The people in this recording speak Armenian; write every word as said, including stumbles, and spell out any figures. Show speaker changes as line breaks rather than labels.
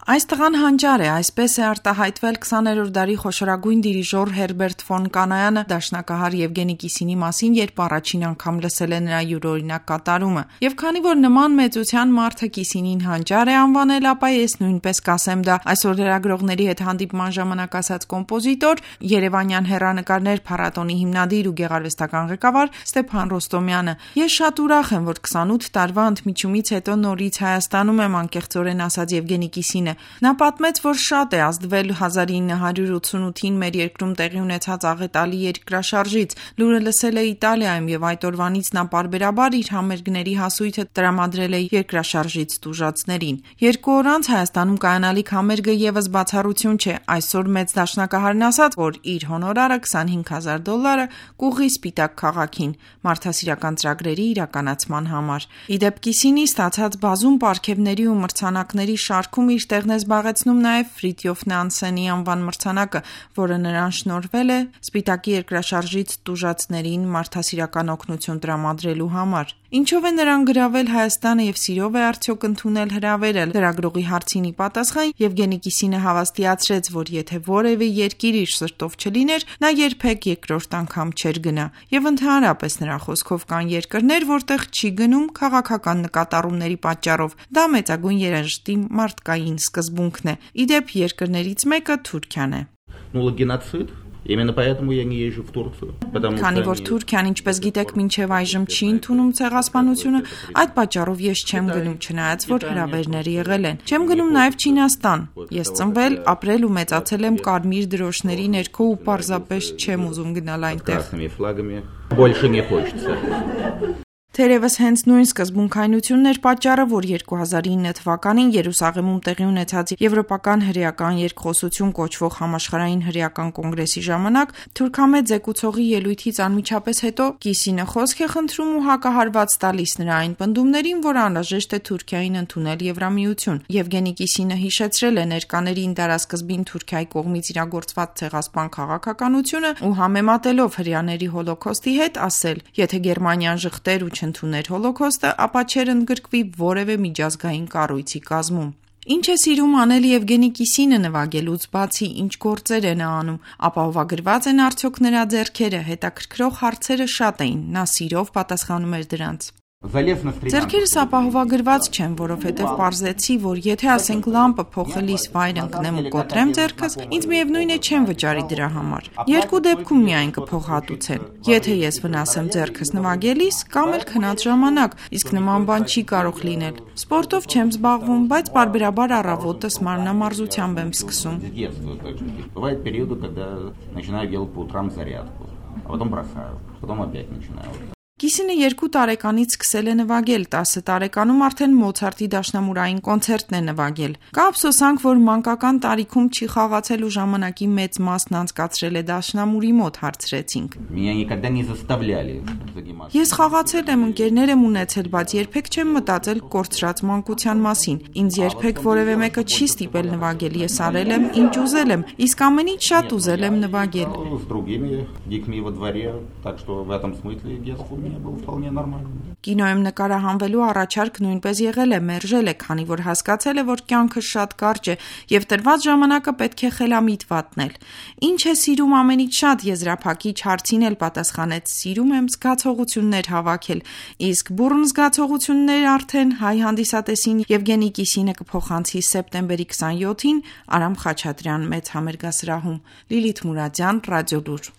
Այս տղան հանճար է, այսպես է արտահայտվել քսաներորդ դարի խոշորագույն դիրիժոր Հերբերտ ֆոն Կանայանը դաշնակահար Եվգենի Կիսինի մասին, երբ առաջին անգամ լսել է նրա յուրօրինակ կատարումը։ Եվ քանի որ նման մեծության մարդը Կիսինին հանճար է անվանել, ապա ես նույնպես կասեմ դա։ Այսօր լրագրողների հետ հանդիպման ժամանակ ասաց կոմպոզիտոր, երևանյան հեռանկարներ փառատոնի հիմնադիր ու գեղարվեստական ղեկավար Ստեփան Ռոստոմյանը։ Ես շատ ուրախ եմ, որ քսանութ տարվա ընդմիջումից հետո նորից Հայաստանում եմ, անկեղծորեն ասաց Եվգենի Կիսինը։ Նա պատմեց, որ շատ է ազդվել հազար ինը հարյուր ութսունութին մեր երկրում տեղի ունեցած աղետալի երկրաշարժից։ Լուրը լսել է Իտալիայում եւ այդ օրվանից նա պարբերաբար իր համերգների հասույթը տրամադրել է երկրաշարժից տուժածներին։ Երկու օր անց Հայաստանում կայանալիք համերգը եւս բացառություն չէ։ Այսօր մեծ դաշնակահարն ասաց, որ իր հոնորարը քսանհինգ հազար դոլարը կուղղի Սպիտակ քաղաքին մարդասիրական ծրագրերի իրականացման համար։ Իդեպ Կիսինի ստացած բազում պարգևների ու մրցանակների շարքում իր տեղն է զբաղեցնում նաև Ֆրիդյոֆ Նանսենի անվան մրցանակը, որը նրան շնորհվել է Սպիտակի երկրաշարժից տուժածներին մարդասիրական օգնություն տրամադրելու համար։ Ինչով է նրան գրավել Հայաստանը եւ սիրով է արդյոք ընդունել հրավերը։ Լրագրողի հարցին ի պատասխան Եվգենի Կիսինը հավաստիացրեց, որ եթե որևէ երկիր իր սրտով չլիներ, նա երբեք երկրորդ անգամ չէր գնա։ Եվ ընդհանրապես նրա խոսքով կան երկրներ, որտեղ չի գնում քաղաքական նկատառումների պատճառով։ Դա մեծագույն երաժշտի մարդկային սկզբունքն է։ Իդեպ երկրներից մեկը Թուրքիան է։
Именно поэтому я не езжу в Турцию.
Քանի որ Թուրքիան, ինչպես գիտեք, մինչև այժմ չի ընդունում ցեղասպանությունը, այդ պատճառով ես չեմ գնում, չնայած որ հրավերներ եղել են։ Չեմ գնում նաև Չինաստան։ Ես ծնվել, ապրել ու մեծացել եմ կարմիր դրոշների ներքո ու պարզապես չեմ ուզում գնալ այնտեղ։ Թերևս հենց նույն սկզբունքայնությունն էր պատճառը, որ երկու հազար ինը թվականին Երուսաղեմում տեղի ունեցած Եվրոպական հրեական երկխոսություն կոչվող համաշխարհային հրեական կոնգրեսի ժամանակ թուրքամետ զեկուցողի ելույթից անմիջապես հետո Կիսինը խոսք է խնդրում ու հակահարված տալիս նրա այն պնդումներին, որ անհրաժեշտ է Թուրքիային ընդունել Եվրամիություն։ Եվգենի Կիսինը հիշեցրել է ներկաներին դարասկզբին Թուրքիայի կողմից իրագործված ցեղասպան քաղաքականությունը ու համեմատելով հրեաների հոլոքոստի հետ ասել. եթե Գերմանիան ժխտեր ու ընդուներ հոլոքոստը, ապա չեր ընդգրկվի որևէ միջազգային կառույցի կազմում։ Ինչ է սիրում անել Եվգենի Կիսինը նվագելուց բացի, ինչ գործեր է նա անում, ապահովագրված են արդյոք նրա ձեռքերը, հետաքրքրող հարցերը շատ էին, նա սիրով պատասխանում էր դրանց։ Ձեռքերս ապահովագրված չեմ, որովհետև պարզեցի, որ եթե ասենք լամպը փոխելիս վայր ընկնեմ ու կոտրեմ ձեռքս, ինձ միևնույն է չեմ վճարի դրա համար։ Երկու դեպքում միայն կփոխհատուցեն։ Եթե ես վնասեմ ձեռքս նվագելիս, կամ էլ քնած ժամանակ, իսկ նման բան չի կարող լինել։ Սպորտով չեմ զբաղվում, բայց պարբերաբար առավոտս մարմնամարզությամբ եմ սկսում։
Бывают периоды, когда начинаю делать по утрам зарядку, а потом бросаю, потом опять начинаю.
Կիսինը երկու տարեկանից սկսել է նվագել, տասը տարեկանում արդեն Մոցարտի դաշնամուրային կոնցերտն է նվագել։ Կա ափսոսանք, որ մանկական տարիքում չի խաղացել ու ժամանակի մեծ մասն անցկացրել է դաշնամուրի մոտ, հարցրեցինք։ Ես խաղացել եմ, ընկերներ եմ ունեցել, բայց երբեք չեմ մտածել կորցրած մանկության մասին։ Ինձ երբեք որևէ մեկը չի ստիպել նվագել, ես արել եմ, ինչ ուզել եմ, իսկ ամեն ինչ շատ ուզել եմ նվագել։ Կինոյում նկարահանվելու առաջարկ նույնպես եղել է, մերժել է, քանի որ հասկացել է, որ կյանքը շատ կարճ է եւ տրված ժամանակը պետք է խելամիտ վատնել։ Ինչ է սիրում ամենից շատ, եզրափակիչ հարցին էլ պատասխանեց. սիրում եմ զգացողություններ հավաքել, իսկ բուռն զգացողություններ արդեն հայ հանդիսատեսին Եվգենի Կիսինը կփոխանցի սեպտեմբերի քսանյոթին Արամ Խաչատրյան մեծ համերգասրահում։ Լիլիթ Մուրադյան, Ռադիոլուր։